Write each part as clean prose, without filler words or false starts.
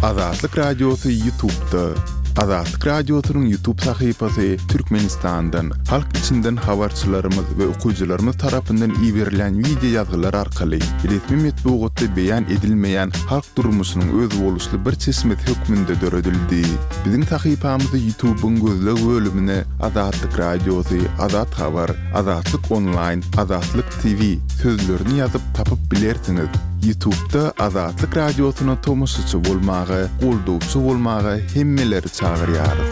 Azatlyk Radiosy Ýutubda. Azatlyk Radiosynyň Ýutub sahypasy Türkmenistandan, halk içinden habarçylarymyz we okyjylarymyz tarapyndan iberilen wideo ýazgylar arkaly resmi metbugatda beýan edilmeýän halk durmuşynyň özboluşly bir çeşmesi hökmünde döredildi. Biziň sahypamyzy Ýutubyň gözleg bölümine Azatlyk Radiosy, Azat Habar, Azatlyk Onlaýn, Azatlyk TV sözlerini ýazyp tapyp bilersiňiz. Ýutubda Azatlyk Radiosyna tomaşaçy bolmaga, goldawçy bolmaga hemmeleri çagyrýarys.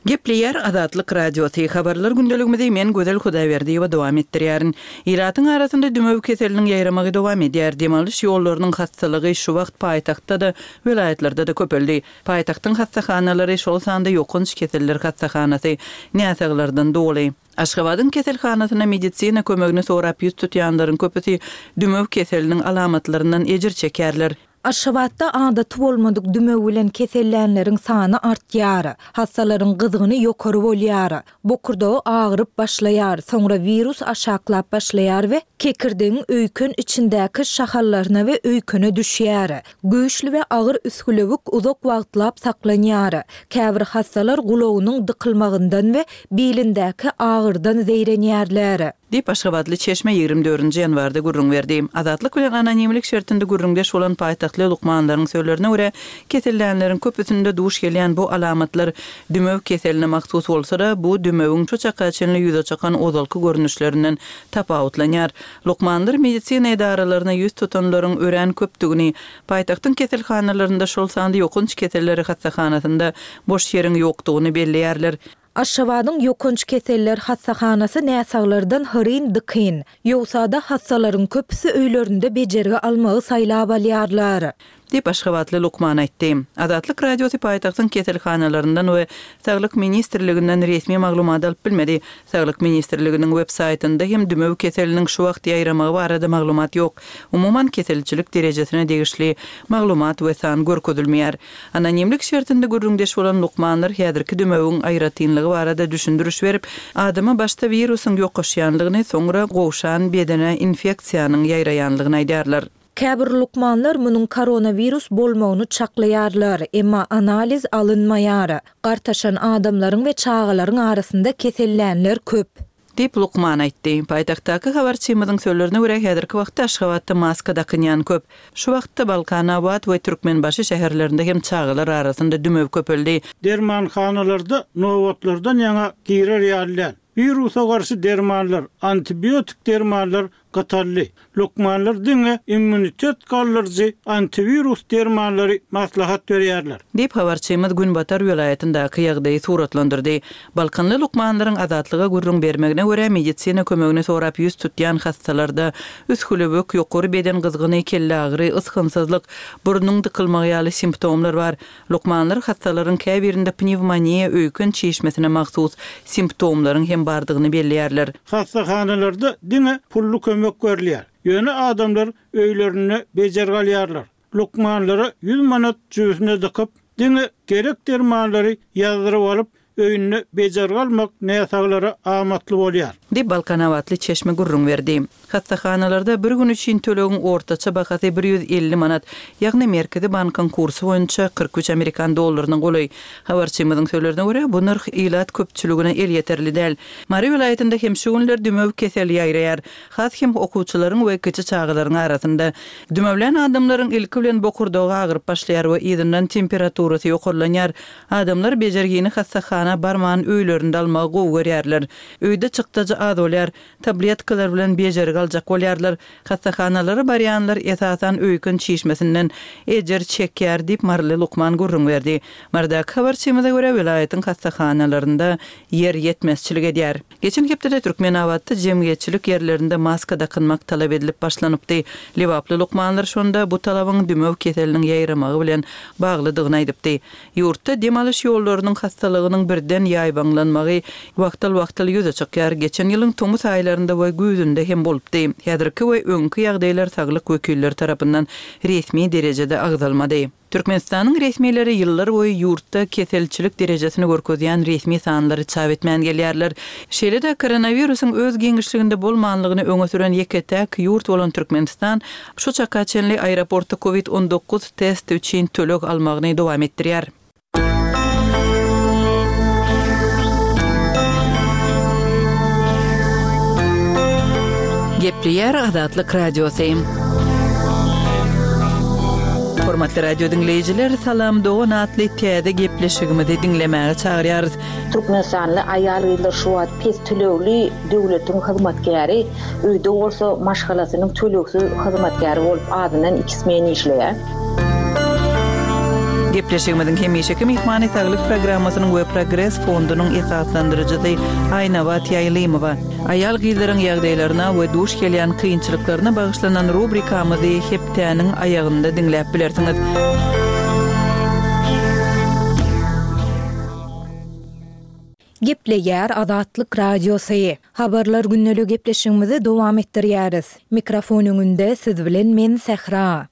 Gepleýär Azatlyk Radiosy, Habarlar gündeligimizi men Gözel Hudaýberdiýewa dowam etdirýärin. Ilatyň arasynda dümew keseliniň ýaýramagy dowam edýär. Dem alyş ýollarynyň hassalygy şu wagt paýtagtda-da, welaýatlarda-da köpeldi. Paýtagtyň hassahanalary, şol sanda ýokanç keseller hassahanasy näsaglardan doly. Aşgabadyň keselhanasyna medisina kömegini sorap ýüz tutýanlaryň köpüsi dümew keseliniň alamatlaryndan ejir çekýärler. Aşgabatda adaty bolmadyk dümew bilen kesellänleriň sany artýar. Hassalaryň gyzgyny ýokary bolýar. Bokurdagy agyryp başlaýar, soňra wirus aşaklap başlaýar we kekirdegiň öýken içindäki şahallaryna we öýkene düşýär. Güýçli we agyr üsgülewük uzak wagtlap saklanýar. Käbir hassalar gulagynyň dykylmagyndan we bilindäki agyrdan zeýrenýärler. Diýip, aşgabatly çeşme 24 nji ýanwarda gürrüň berdi. Azatlyk bilen anonimlik şertinde gürrüňdeş bolan paýtagtly lukmanlaryň sözlerine görä, kesellänleriň köpüsinde duş gelýän bu alamatlar dümew keseline mahsus bolsa-da, bu dümewiň şu çaka çenli ýüze çykan ozalky görnüşlerinden tapawutlanýar. Lukmanlar medisina edaralaryna ýüz tutanlaryň örän köpdügini, paýtagtyň keselhanalarynda, şol sanda ýokanç keselleri hassahanasynda boş ýeriň ýokdugyny belleýärler. Aşgabadyň ýokanç keseller hassahanasy näsaglardan hyryn-dykyn. Ýogsa-da hassalaryň köpüsi öýlerinde bejergi almagy saýlap alýarlar. Diýip, aşgabatly lukman aýtdy. Azatlyk Radiosy paýtagtyň keselhanalaryndan we Saglyk ministrliginden resmi maglumat alyp bilmedi. Saglyk ministrliginiň web saýtynda hem dümew keseliniň şu wagt ýaýramagy barada maglumat ýok. Umuman, keselçilik derejesine degişli maglumat we san görkezilmeýär. Anonimlik şertinde gürrüňdeş bolan lukmanlar häzirki dümewiň aýratynlygy barada düşündiriş berip, adama başda wirusyň ýokaşýanlygyny, soňra gowşan bedene infeksiýanyň ýaýraýanlygyny aýdýarlar. Käbir lukmanlar munuň koronawirus bolmagyny çaklaýarlar, emma analiz alynmaýar. Gartaşan adamlaryň we çagalaryň arasynda kesellänler köp. Diýip, lukman aýtdy. Paýtagtdaky habarçymyzyň sözlerine görä, häzirki wagtda Aşgabatda maska dakynýan köp. Şu wagtda Balkanabat we Türkmenbaşy şäherlerinde hem çagalar arasynda dümew köpeldi. Dermanhanalarda nobatlardan ýaňa girer ýaly däl. Wirusa garşy dermanlar, antibiotik dermanlar gytaldy. Lukmanlar diňe immunitet galdyryjy antiwirus dermanlary maslahat berýärler. Diýip, habarçymyz günbatar welaýatyndaky ýagdaýy suratlandyrdy. Balkanly lukmanlaryň Azatlyga gürrüň bermegine görä, medisina kömegini sorap ýüz tutýan hassalarda üsgülewük, ýokary beden gyzgyny, kelleagyry, ysgynsyzlyk, burnuň dykylmagy ýaly simptomlar bar. Lukmanlar hassalaryň käbirinde pnewmoniýa, öýken çişmesine mahsus simptomlaryň hem bardygyny belleýärler. Hassahanalarda diňe pully kömek berilýär. Ýöne adamlar öýlerinde bejergi alýarlar. Lukmanlara ýüz manat jübüsine dykyp, diňe gerek dermanlary ýazdyryp alyp, öýünde bejergi almak näsaglara amatly bolýar. Diýip, balkanabatly çeşme gürrüň berdi. Hassahanalarda bir gün üçin tölegiň ortaça bahasy 150 manat, ýagny Merkezi bankyň kursy boýunça 43 amerikan dollaryna golaý. Habarçymyzyň sözlerine görä, bu nyrh ilat köpçüligine elýeterli däl. Mary welaýatynda hem şu günler dümew keseli ýaýraýar. Has hem okuwçylaryň we kiçi çagalaryň arasynda. Dümewlän adamlaryň ilki bilen bokurdagy agyryp başlaýar we yzyndan temperaturasy ýokarlanýar. Adamlar bejergini hassahana barman öýlerinde almagy gowy görýärler. Öýde çykdajy az bolýar. Tabletkalar bilen bejergi aljak bolýarlar. Hassahanalara barýanlar esasan öýken çişmesinden ejir çekýär diýip, maryly lukman gürrüň berdi. Marydaky habarçymyza görä, welaýatyň hassahanalarynda ýer ýetmezçilik edýär. Geçen hepdede Türkmenabatda jemgyýetçilik ýerlerinde maska dakynmak talap edilip başlanypdy. Lebaply lukmanlar şonda bu talabyň dümew keseliniň ýaýramagy bilen baglydygyny aýdypdy. Ýurtda dem alyş ýollarynyň hassalygynyň birden. birden ýaýbaňlanmagy wagtal-wagtal ýüze çykýar, geçen ýylyň tomus aýlarynda we güýzünde hem bolupdy. Häzirki we öňki ýagdaýlar saglyk wekilleri tarapyndan resmi derejede agzalmady. Türkmenistanyň resmileri ýyllar boýy ýurtda keselçilik derejesini görkezýän resmi sanlary çap etmän gelýärler. Şeýle-de, koronawirusyň öz giňişliginde bolmanlygyny öňe süren ýeke-täk ýurt bolan Türkmenistan şu çaka çenli aeroportda covid 19 testi üçin töleg almagyny dowam etdirýär. Gepleýär Azatlyk Radiosy. Hormatly radio diňleýjiler, Salam dogan atly täze gepleşigimizi diňlemäge çagyrýarys. Türkmenistanly aýal-gyzlar şu wagt pes tölegli döwletiň hyzmatkäri, öýde bolsa maşgalasynyň tölegsiz hyzmatkäri bolup azyndan iki smen işleýär. Gepleşigimiziň hemişeki myhmany Saglyk programmasynyň we Progres fondunyň esaslandyryjysy Aýnabat Ýaýlymowa. Aýal-gyzlaryň ýagdaýlaryna we duş gelýän kynçylyklaryna bagyşlanan rubrikamyzy hepdäniň aýagynda diňläp bilersiňiz. Gepleýär Azatlyk Radiosy. Habarlar gündeligi gepleşigimizi dowam etdirýäris. Mikrofon öňünde siz bilen men Sähra.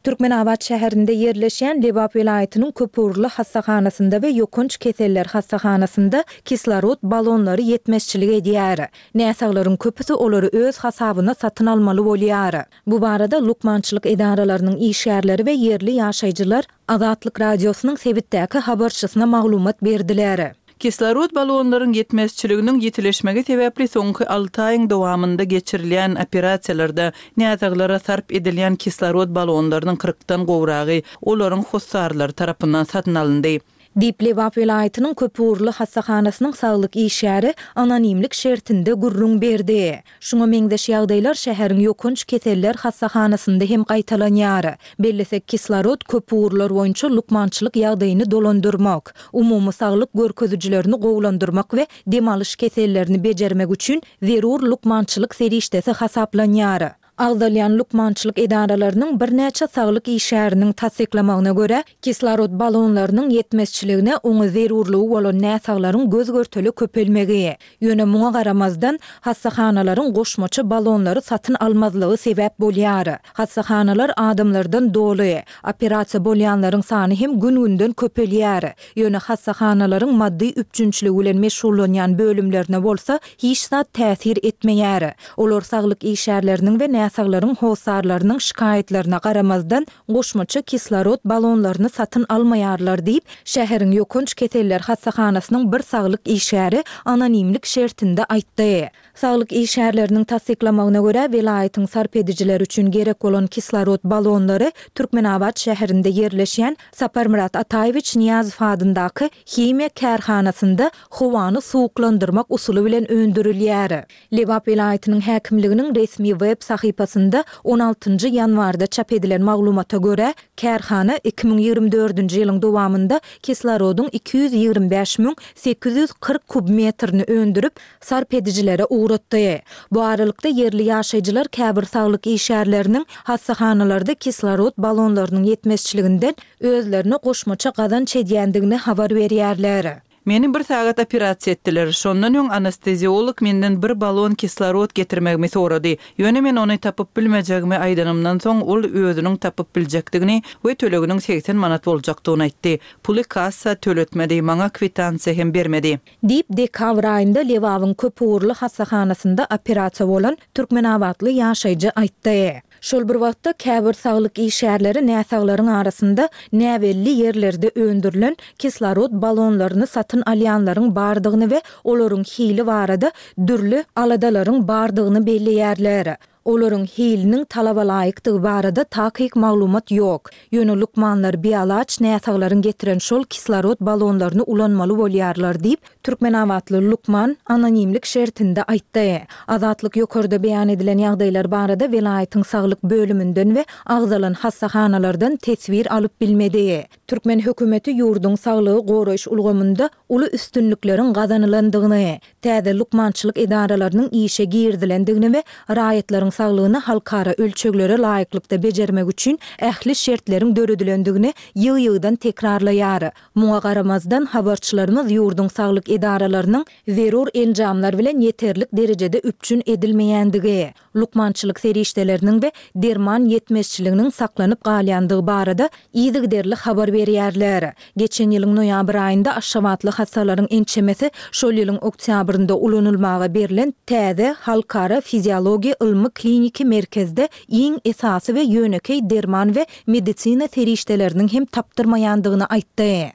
Türkmenabat şäherinde ýerleşýän Lebap welaýatynyň köpugurly hassahanasynda we ýokanç keseller hassahanasynda kislorod balonlary ýetmezçilik edýär. Näsaglaryň köpüsi olary öz hasabyna satyn almaly bolýar. Bu barada lukmançylyk edaralarynyň işgärleri we ýerli ýaşaýjylar Azatlyk Radiosynyň sebitdäki habarçysyna maglumat berdiler. Kislorod balonlaryň ýetmezçiliginiň ýitileşmegi sebäpli soňky alty aýyň dowamynda geçirilýän operasiýalarda näsaglara sarp edilýän kislorod balonlarynyň kyrkdan gowragy olaryň hossarlary tarapyndan satyn alyndy. Diýip, Lebap welaýatynyň köpugurly hassahanasynyň saglyk işgäri anonimlik şertinde gürrüň berdi. Şuňa meňzeş ýagdaýlar şäheriň ýokanç keseller hassahanasynda hem gaýtalanýar. Bellesek, kislorod köp ugurlar boýunça lukmançylyk ýagdaýyny dolandyrmak, umumy saglyk görkezijilerini gowulandyrmak we dem alyş kesellerini bejermek üçin zerur lukmançylyk serişdesi hasaplanýar. Agzalýan lukmançylyk edaralarynyň birnäçe saglyk işgäriniň tassyklamagyna görä, kislorod balonlarynyň ýetmezçiligine oňa zerurlygy bolan näsaglaryň göz-görtele köpelmegi, ýöne muňa garamazdan, hassahanalaryň goşmaça balonlary satyn almazlygy sebäp bolýar. Hassahanalar adamlardan doly. Operasiýa bolýanlaryň sany hem gün-günden köpelýär. Ýöne hassahanalaryň maddy üpjünçiligi bilen meşgullanýan bölümlerine bolsa hiç zat täsir etmeýär. Olar saglyk işgärleriniň we näsaglaryň hossarlarynyň şikaýatlaryna garamazdan, goşmaça kislorod balonlaryny satyn almaýarlar diýip, şäheriň ýokanç keseller hassahanasynyň bir saglyk işgäri anonimlik şertinde aýtdy. Saglyk işgärleriniň tassyklamagyna görä, welaýatyň sarp edijileri üçin gerek bolan kislorod balonlary Türkmenabat şäherinde ýerleşýän Saparmyrat Ataýewiç Nyýazow adyndaky himiýa kärhanasynda howany suwuklandyrmak usuly bilen öndürilýär. Lebap welaýatynyň häkimliginiň resmi web sahypasynda on altynjy ýanwarda çap edilen maglumata görä, kärhana 2024-nji ýylyň dowamynda kislorodyň 225 840 kubmetrini öndürip, sarp edijilere ugratdy. Bu aralykda, ýerli ýaşaýjylar käbir saglyk işgärleriniň hassahanalarda kislorod balonlarynyň ýetmezçiliginden özlerine goşmaça gazanç edýändigini habar berýärler. Meni bir sagat operasiýa etdiler. Şondan öň anesteziolog menden bir balon kislorod getirmegimi sorady. Ýöne men ony tapyp bilmejegimi aýdanymdan soň, ol özüniň tapyp biljekdigini we töleginiň 80 manat boljakdygyny aýtdy. Puly kassa töletmedi, maňa kwitansiýa hem bermedi. Diýip, dekabr aýynda Lebabyň köpugurly hassahanasynda operasiýa bolan türkmenabatly ýaşaýjy aýtdy. Şol bir wagtda, käbir saglyk işgärleri näsaglaryň arasynda näbelli ýerlerde öndürilen kislorod balonlaryny satyn alýanlaryň bardygyny we olaryň hili barada dürli aladalaryň bardygyny belleýärler. Olaryň hiliniň talabalaýykdygy barada takyk maglumat ýok. Ýöne lukmanlar bialaç näsaglaryň getiren şol kislorod balonlaryny ulanmaly bolýarlar diýip, türkmenabatly lukman anonimlik şertinde aýtdy. Azatlyk ýokarda beýan edilen ýagdaýlar barada welaýatyň saglyk bölüminden we agzalan hassahanalardan teswir alyp bilmedi. Türkmen hökümeti ýurduň saglygy goraýyş ulgamynda uly üstünlikleriň gazanylandygyny, täze lukmançylyk edaralarynyň işe girizilendigini we raýatlaryň. saglygyny halkara ölçeglere laýyklykda bejermek üçin ähli şertleriň döredilendigini ýygy-ýygydan tekrarlaýar. Muňa garamazdan, habarçylarymyz ýurduň saglyk edaralarynyň zerur enjamlar bilen ýeterlik derejede üpjün edilmeýändigi, lukmançylyk serişdeleriniň we derman ýetmezçiliginiň saklanyp galýandygy barada yzygiderli habar berýärler. Geçen ýylyň noýabr aýynda aşgabatly hassalaryň ençemesi şol ýylyň oktýabrynda ulanylmaga berlen täze Halkara fiziologiýa ylmy-kliniki merkezde iň esasy we ýönekeý derman we medisina serişdeleriniň hem tapdyrmaýandygyny aýtdy.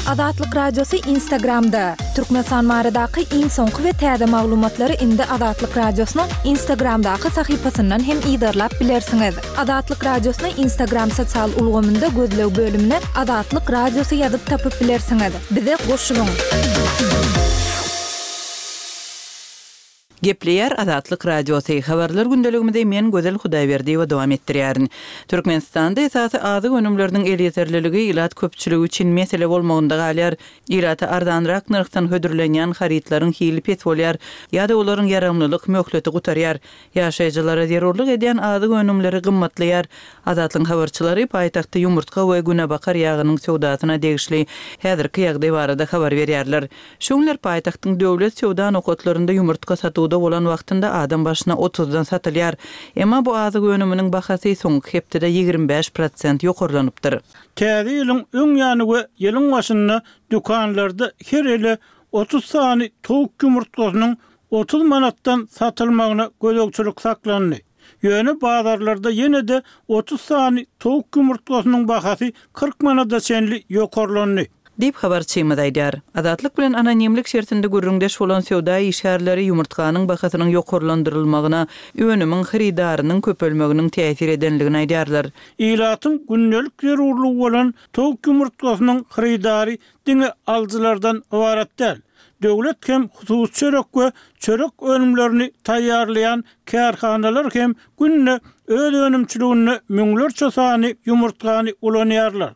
Azatlyk Radiosy Instagramda, Türkmenistan baradaky iň soňky we täze maglumatlary indi Azatlyk Radiosynyň Instagramdaky sahypasyndan hem yzarlap bilersiňiz. Azatlyk Radiosyny Instagram sosial ulgamynda gözleg bölümine Azatlyk Radiosy ýazyp tapyp bilersiňiz. Bize goşulyň! Gepleýär Azatlyk Radiosy, Habarlar gündeligimizi men Gözel Hudaýberdiýewa dowam etdirýärin. Türkmenistanda esasy azyk önümleriniň elýeterliligi ilat köpçüligi üçin mesele bolmagynda galýar. Ilata arzanrak nyrhdan hödürlenýän harytlaryň hili pes bolýar ýa-da olaryň ýaramlylyk möhleti gutarýar. Ýaşaýjylara zerurlyk edýän azyk önümleri gymmatlaýar. Azatlygyň habarçylary paýtagtda ýumurtga we günebakar ýagynyň söwdasyna degişli häzirki ýagdaý barada habar berýärler. Şu günler paýtagtyň döwlet söwda nokatlarynda ýumurtga satuwda bolan wagtynda adam başyna otuzdan satylýar. Emma bu azyk önüminiň bahasy soňky hepdede 25 prosent ýokarlanypdyr. Täze ýylyň öň ýany we ýylyň başynda dükanlarda her ele 30 sany towuk ýumurtgasynyň 30 manatdan satylmagyna gözegçilik saklandy. Ýöne bazarlarda ýene-de 30 sany towuk ýumurtgasynyň bahasy 40 manada çenli ýokarlandy. Diýip, habarçymyz aýdýar. Azatlyk bilen anonimlik şertinde gürrüňdeş bolan söwda işgärleri ýumurtganyň bahasynyň ýokarlandyrylmagyna önümiň hyrydarynyň köpelmeginiň täsir edenligini aýdýarlar. Ilatyň gündelik zerurlygy bolan towuk ýumurtgasynyň hyrydary diňe alyjylardan ybarat däl. Döwlet hem hususy çörek we çörek önümlerini taýýarlaýan kärhanalar hem günde öz önümçiliginde müňlerçe sany ýumurtgany ulanýarlar.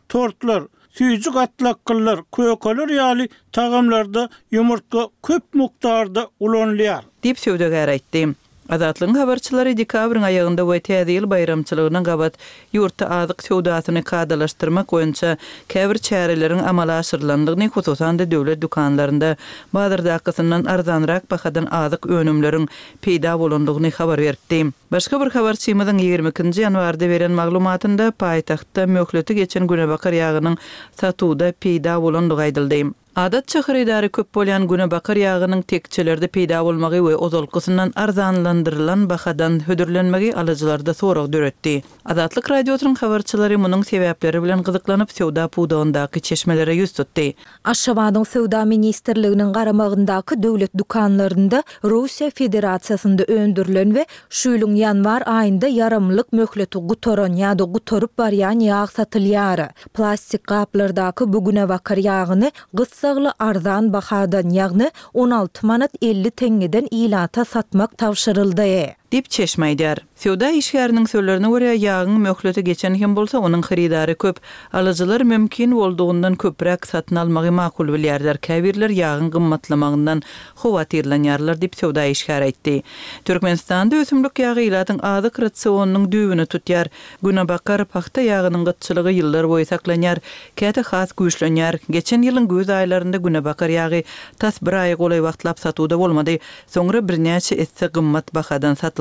Tortlar, süýji gatlakgyllar, kökeler ýaly tagamlarda ýumurtga köp mukdarda ulanylýar. Diýip, söwdagär aýtdy. Azatlygyň habarçylary dekabryň aýagynda we Täze ýyl baýramçylygyna gabat ýurtda azyk söwdasyny kadalaşdyrmak boýunça käbir çäreleriň amala aşyrylandygyny, hususan-da döwlet dükanlarynda bazardakysyndan arzanrak bahadan azyk önümleriň peýda bolandygyny habar beripdi. Başga bir habarçymyzyň 22 nji ýanwarda beren maglumatynda paýtagtda möhleti geçen günebakar ýagynyň satuwda peýda bolandygy aýdyldy. Adatça hyrydary köp bolýan günebakar ýagynyň tekjelerde peýda bolmagy we ozalkysyndan arzanlandyrylan bahadan hödürlenmegi alyjylarda sorag döretdi. Azatlyk Radiosynyň habarçylary munuň sebäpleri bilen gyzyklanyp, söwda pudagyndaky çeşmelere ýüz tutdy. Aşgabadyň Söwda ministrliginiň garamagyndaky döwlet dükanlarynda Russiýa Federasiýasynda öndürilen we şu ýylyň ýanwar aýynda ýaramlylyk möhleti gutaran ýa-da gutaryp barýan ýag satylýar. Plastik gaplardaky bu günebakar ýagyny gyssagly arzan bahadan, ýagny 16 manat 50 teňňeden ilata satmak tabşyryldy. Diýip, çeşme aýdýar. Söwda işgäriniň sözlerine görä, ýagyň möhleti geçen hem bolsa, onuň hyrydary köp. Alyjylar mümkin boldugyndan köpräk satyn almagy makul bilýärler, käbirler ýagyň gymmatlamagyndan howatyrlanýarlar diýip, söwda işgäri aýtdy. Türkmenistanda ösümlik ýagy ilatyň azyk rasionynyň düýbüni tutýar. Günebakar pagta ýagynyň gytçylygy ýyllar boýy saklanýar, käte has güýçlenýär. Geçen ýylyň güýz aýlarynda günebakar ýagy tas bir aýa golaý wagtlap satuwda bolmady. Soňra birnäçe esse gymmat bahadan satyldy.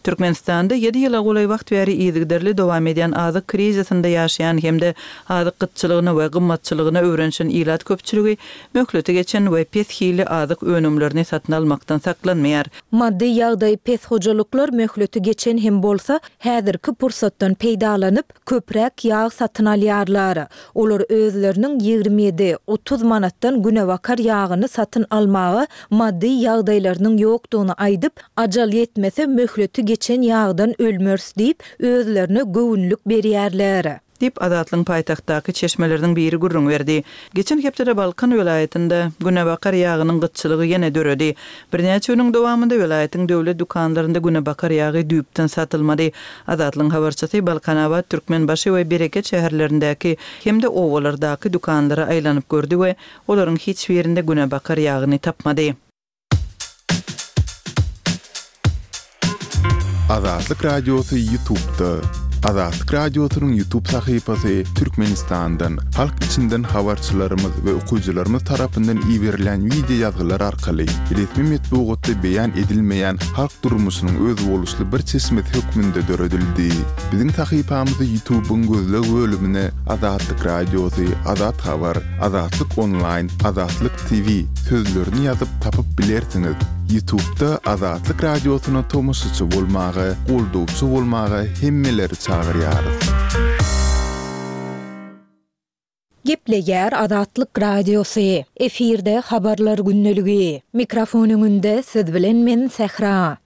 Türkmenistanda ýedi ýyla golaý wagt bäri yzygiderli dowam edýän azyk krizisinde ýaşaýan hem-de azyk gytçylygyna we gymmatçylygyna öwrenişen ilat köpçüligi möhleti geçen we pes hilli azyk önümlerini satyn almakdan saklanmaýar. Maddy ýagdaýy pes hojalyklar möhleti geçen hem bolsa, häzirki pursatdan peýdalanyp, köpräk ýag satyn alýarlar. Olar özleriniň 27, 30 manatdan günebakar ýagyny satyn almaga maddy ýagdaýlarynyň ýokdugyny aýdyp, ajal ýetmese möhleti geçen ýagdan ölmeris diýip, özlerine göwünlik berýärler. Diýip, Azatlygyň paýtagtdaky çeşmeleriniň biri gürrüň berdi. Geçen hepdede Balkan welaýatynda günebakar ýagynyň gytçylygy ýene döredi. Birnäçe günüň dowamynda welaýatyň döwlet dükanlarynda günebakar ýagy düýpden satylmady. Azatlygyň habarçysy Balkanabat, Türkmenbaşy we Bereket şäherlerindäki hem-de obalardaky dükanlara aýlanyp gördi we olaryň hiç birinde günebakar ýagyny tapmady. Azatlyk Radiosy Ýutubda. Azatlyk Radiosynyň Ýutub sahypasy Türkmenistandan, halk içinden habarçylarymyz we okyjylarymyz tarapyndan iberilýän wideo ýazgylar arkaly resmi metbugatda beýan edilmeýän halk durmuşynyň özboluşly bir çeşmesi hökmünde döredildi. Biziň sahypamyzy Ýutubyň gözleg bölümine Azatlyk Radiosy, Azat Habar, Azatlyk Onlaýn, Azatlyk TV sözlerini ýazyp tapyp bilersiňiz. Ýutubda Azatlyk Radiosyna tomaşaçy bolmaga, goldawçy bolmaga hemmeleri çagyrýarys. Gepleýär Azatlyk Radiosy, efirde Habarlar gündeligi. Mikrofon öňünde siz bilen men Sähra.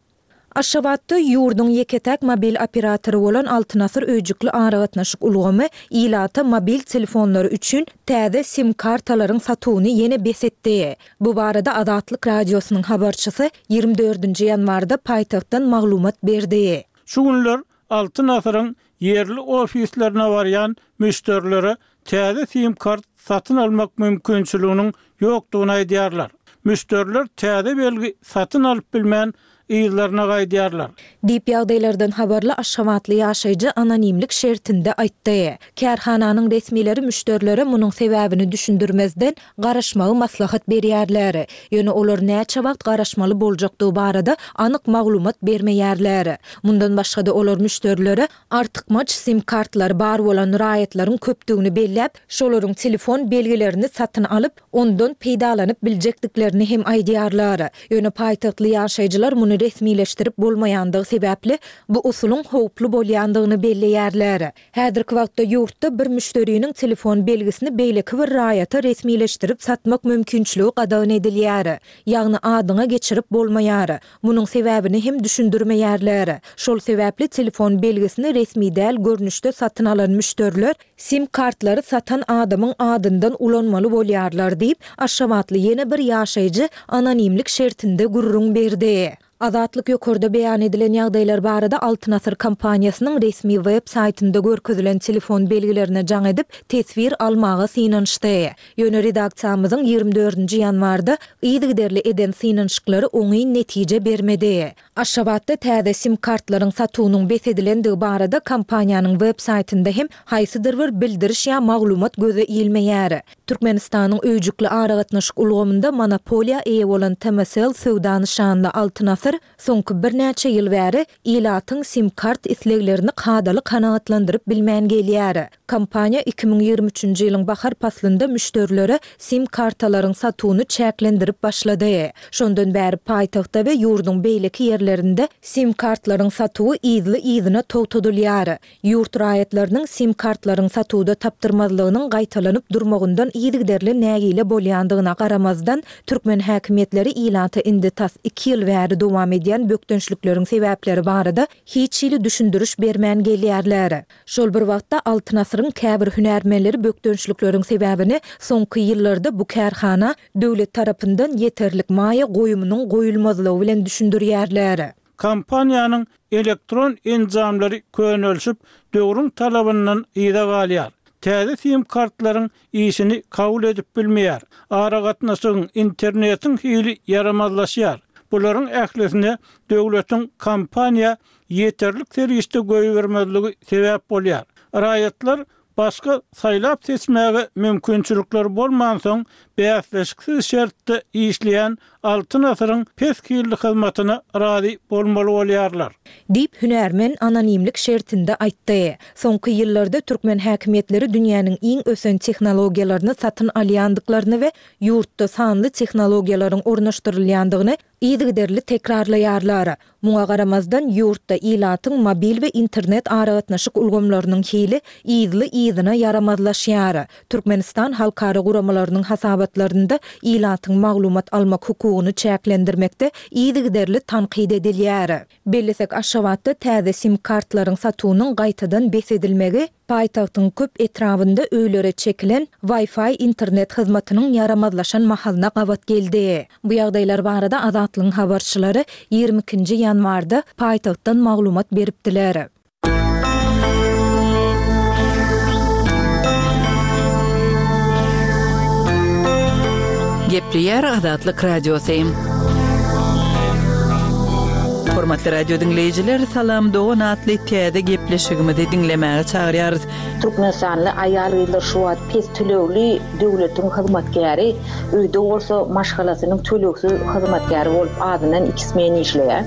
Aşgabatda ýurduň ýeke-täk mobil operatory bolan Altyn Asyr öýjükli aragatnaşyk ulgamy ilata mobil telefonlary üçin täze sim-kartalaryň satuwyny ýene bes etdi. Bu barada Azatlyk Radiosynyň habarçysy 24 ýanwarda paýtagtdan maglumat berdi. Şu günler Altyn Asyryň ýerli ofislerine barýan müşderilere täze sim-kart satyn almak mümkinçiliginiň ýokdugyny aýdýarlar. Müşderiler täze belgi satyn alyp bilmän, yzlaryna gaýdýarlar. Diýip, ýagdaýlardan habarly aşgabatly ýaşaýjy anonimlik şertinde aýtdy. Kärhananyň resmileri müşderilere munuň sebäbini düşündirmezden, garaşmagy maslahat berýärler. Ýöne olar näçe wagt garaşmaly boljakdygy barada anyk maglumat bermeýärler. Mundan başga-da, olar müşderilere Artykmaç sim-kartlary bar bolan raýatlaryň köpdügini belläp, şolaryň telefon belgilerini satyn alyp, ondan peýdalanyp biljekdiklerini hem aýdýarlar. Ýöne paýtagtly ýaşaýjylar muny resmileşdirip bolmaýandygy sebäpli, bu usulyň howply bolýandygyny belleýärler. Häzirki wagtda ýurtda bir müşderiniň telefon belgisini beýleki bir raýata resmileşdirip satmak mümkinçiligi gadagan edilýär. Ýagny adyňa geçirip bolmaýar. Munuň sebäbini hem düşündirmeýärler. Şol sebäpli telefon belgisini resmi däl görnüşde satyn alan müşderiler sim kartlary satan adamyň adyndan ulanmaly bolýarlar diýip, aşgabatly ýene bir ýaşaýjy anonimlik şertinde gürrüň berdi. Azatlyk ýokarda beýan edilen ýagdaýlar barada Altyn Asyr kompaniýasynyň resmi web saýtynda görkezilen telefon belgilerine jaň edip, teswir almaga synanyşdy. Ýöne redaksiýamyzyň 24-nji ýanwarda yzygiderli eden synanyşyklary oňyn netije bermedi. Aşgabatda täze sim-kartlaryň satuwynyň bes edilendigi barada kompaniýanyň web saýtynda hem haýsydyr bir bildiriş ýa maglumat göze ilmeýär. Türkmenistanyň öýjükli aragatnaşyk ulgamynda monopoliýa eýe bolan TMSL söwda nyşanly Altyn Asyr soňky birnäçe ýyl bäri ilatyň sim-kart isleglerini kadaly kanagatlandyryp bilmän gelýär. Kompaniýa 2023-nji ýylyň bahar paslynda müşderilere sim-kartalaryň satuwyny çäklendirip başlady. Şondan bäri paýtagtda we ýurduň beýleki ýerlerinde sim-kartlaryň satuwy yzly-yzyna togtadylýar. Ýurt raýatlarynyň sim-kartlaryň satuwda tapdyrmazlygynyň gaýtalanyp durmagyndan yzygiderli nägile bolýandygyna garamazdan, türkmen häkimiýetleri ilata indi tas iki ýyl bäri dowam edýän bökdençlikleriň sebäpleri barada hiç hili düşündiriş bermän gelýärler. Şol bir wagtda, Altyn asyryň käbir hünärmenleri bökdençlikleriň sebäbini soňky ýyllarda bu kärhana döwlet tarapyndan ýeterlik maýa goýumynyň goýulmazlygy bilen düşündirýärler. Kompaniýanyň elektron enjamlary könelişip, döwrüň talabyndan yza galýar. Täze sim kartlaryň işini kabul edip bilmeýär. Aragatnaşygyň, internetiň hili ýaramazlaşýar. Bularyň ählisine döwletiň kompaniýa ýeterlik serişde goýbermezligi sebäp bolýar. Raýatlar başga saýlap-seçmäge mümkinçilikleri bolmansoň, bäsleşiksiz şertde işleýän Altyn asyryň pes hilli hyzmatyna razy bolmaly bolýarlar. Diýip, hünärmen anonimlik şertinde aýtdy. Soňky ýyllarda türkmen häkimiýetleri dünýäniň iň ösen tehnologiýalaryny satyn alýandyklaryny we ýurtda sanly tehnologiýalaryň ornaşdyrylýandygyny yzygiderli tekrarlaýarlar. Muňa garamazdan, ýurtda ilatyň mobil we internet aragatnaşyk ulgamlarynyň hili yzly-yzyna ýaramazlaşýar. Türkmenistan halkara guramalarynyň hasabatlarynda ilatyň maglumat almak hukugyny çäklendirmekde yzygiderli tankyt edilýär. Bellesek, Aşgabatda täze sim-kartlaryň satuwynyň gaýtadan bes edilmegi paýtagtyň köp etrabynda öýlere çekilen Wi-Fi internet hyzmatynyň ýaramazlaşan mahalyna gabat geldi. Bu ýagdaýlar barada Azatlygyň habarçylary 22-nji ýanwarda paýtagtdan maglumat beripdiler. Gepleýär Azatlyk Radiosy. Hormatly radio diňleýjiler, Salam dogan atly täze gepleşigimizi diňlemäge çagyrýarys. Türkmenistanly aýal-gyzlar şu wagt pes tölegli döwletiň hyzmatkäri, öýde bolsa maşgalasynyň tölegsiz hyzmatkäri bolup azyndan iki smen işleýär.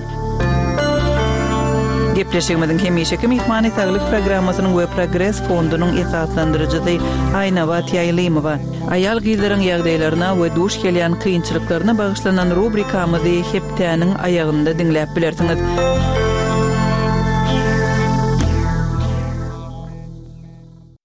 Gepleşigimiziň hemişeki myhmany Saglyk programmasynyň we Progres fondunyň esaslandyryjysy Aýnabat Ýaýlymowa. Aýal-gyzlaryň ýagdaýlaryna we duş gelýän kynçylyklaryna bagyşlanan rubrikamyzy hepdäniň aýagynda diňläp bilersiňiz.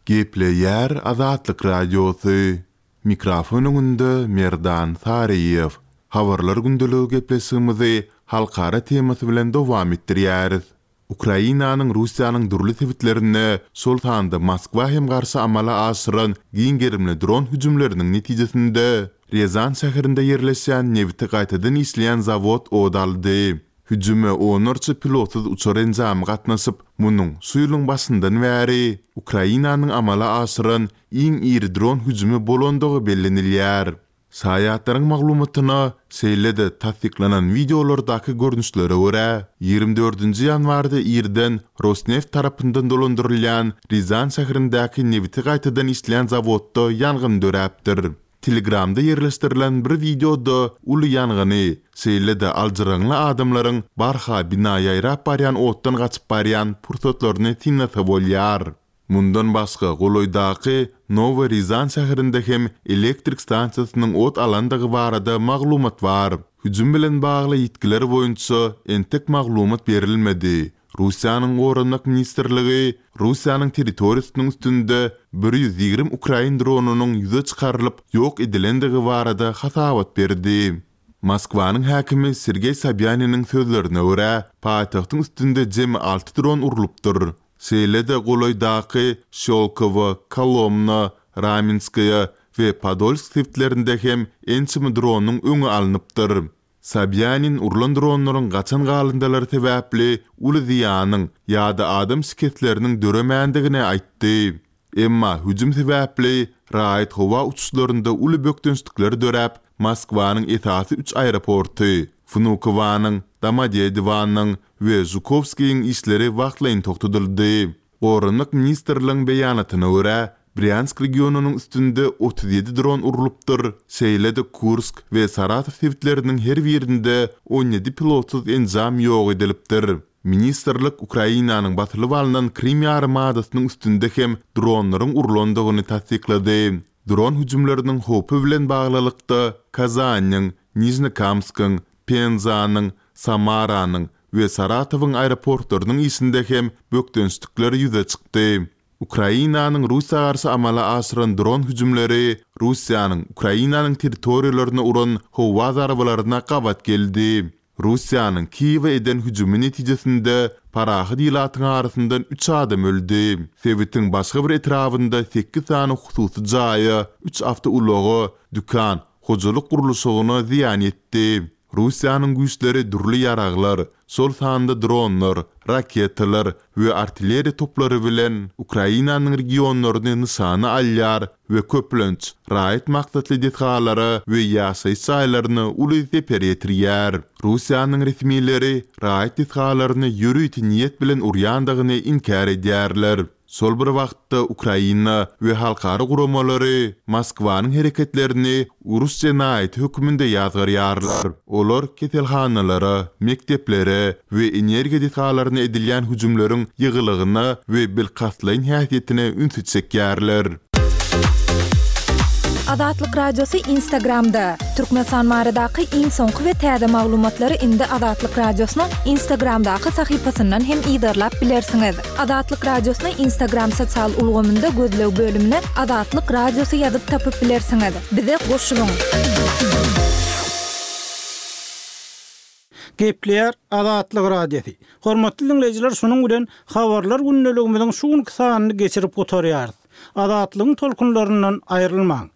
Gepleýär Azatlyk Radiosy, Mikrofon öňünde Merdan Saryýew. Habarlar gündeligi gepleşigimizi halkara temasy bilen dowam etdirýäris. Ukrainanyň Russiýanyň dürli sebitlerine, şol sanda Moskwa hem garşy amala aşyran giň gerimli dron hüjümleriniň netijesinde, Rýazan şäherinde ýerleşýän nebiti gaýtadan işleýän zawod ot aldy. Hüjüme onlarça pilotsyz uçar enjamy gatnaşyp, munuň şu ýylyň başyndan bäri Ukrainanyň amala aşyran iň iri dron hüjümi bolandygy bellenilýär. Şaýatlaryň maglumatyna, şeýle-de tassyklanan wideolardaky görnüşlere görä, 24 ýanwarda irden Rosneft tarapyndan dolandyrylýan Rýazan şäherindäki nebiti gaýtadan işleýän zawodda ýangyn döräpdir. Telegramda ýerleşdirilen bir wideoda uly ýangyny, şeýle-de aljyraňly adamlaryň barha bina ýaýrap barýan otdan gaçyp barýan pursatlaryny synlasa bolýar. Mundan başga, golaýdaky Nowy Rizan şäherinde hem elektrik stansiýasynyň ot alandygy barada maglumat bar. Hüjüm bilen bagly ýitgiler boýunça entek maglumat berilmedi. Russiýanyň Goranmak ministrligi Russiýanyň territoriýasynyň üstünde 120 ukrain dronynyň ýüze çykarylyp ýok edilendigi barada hasabat berdi. Moskwanyň häkimi Sergeý Sobýaniniň sözlerine görä, paýtagtyň üstünde jemi alty dron urlupdyr. Şeýle-de golaýdaky Şýolkowo, Kolomna, Ramenskoýe we Podolsk sebitlerinde hem ençeme dronyň öňi alnypdyr. Sobýanin urlan dronlaryň gaçan galyndylary sebäpli uly zyýanyň ýa-da adam şikesleriniň döremändigini aýtdy. Emma hüjüm sebäpli raýat howa uçuşlarynda uly bökdençlikler döräp, Moskwanyň esasy üç aeroporty, Wnukowanyň, Domodedowanyň we Žukowskiýiň işleri wagtlaýyn togtadyldy. Goranmak ministrligiň beýanatyna görä, Brýansk regionynyň üstünde 37 dron urlupdyr, şeýle-de Kursk we Saratow sebitleriniň her birinde 17 pilotsyz enjam ýok edilipdir. Ministrlik Ukrainanyň basylyp alnan Krym ýarymadasynyň üstünde hem dronlaryň urlandygyny tassyklady. Dron hüjümleriniň howpy bilen baglylykda Kazanyň, Nižnekamskyň, Penzanyň, Samaranyň we Saratowyň aeroportlarynyň işinde hem bökdençlikler ýüze çykdy. Ukrainanyň Russiýa garşy amala aşyran dron hüjümleri Russiýanyň Ukrainanyň territoriýalaryna uran howa zarbalaryna gabat geldi. Russiýanyň Kiýewe eden hüjümi netijesinde parahat ilatyň arasyndan üç adam öldi. Sebitiň başga bir etrabynda sekiz sany hususy jaýa, üç awtoulaga, dükan, hojalyk gurluşygyna zyýan ýetdi. Russiýanyň güýçleri dürli ýaraglar, şol sanda dronlar, raketalar we artilleriýa toplary bilen Ukrainanyň regionlaryny nyşana alýar we köplenç raýat maksatly desgalara we ýaşaýyş jaýlaryna uly zeper ýetirýär. Russiýanyň resmileri raýat desgalaryny ýörite niýet bilen urýandygyny inkär edýärler. Şol bir wagtda, Ukraina we halkara guramalary Moskwanyň hereketlerini uruş jenaýaty hökmünde ýazgarýarlar. Olar keselhanalara, mekdeplere we energiýa desgalaryna edilýän hüjümleriň ýygylygyna we bilkastlaýyn häsiýetine ünsi çekýärler. Azatlyk Radiosy Instagramda, Türkmenistan baradaky iň soňky we täze maglumatlary indi Azatlyk Radiosynyň Instagramdaky sahypasyndan hem yzarlap bilersiňiz. Azatlyk Radiosyny Instagram sosial ulgamynda gözleg bölümine Azatlyk Radiosy ýazyp tapyp bilersiňiz. Bize goşulyň! Gepleýär Azatlyk Radiosy. Hormatly diňleýjiler şunuň bilen Habarlar gündeligimiziň şu günki sanyny geçirip gutarýarys. Azatlygyň tolkunlaryndan aýrylmaň!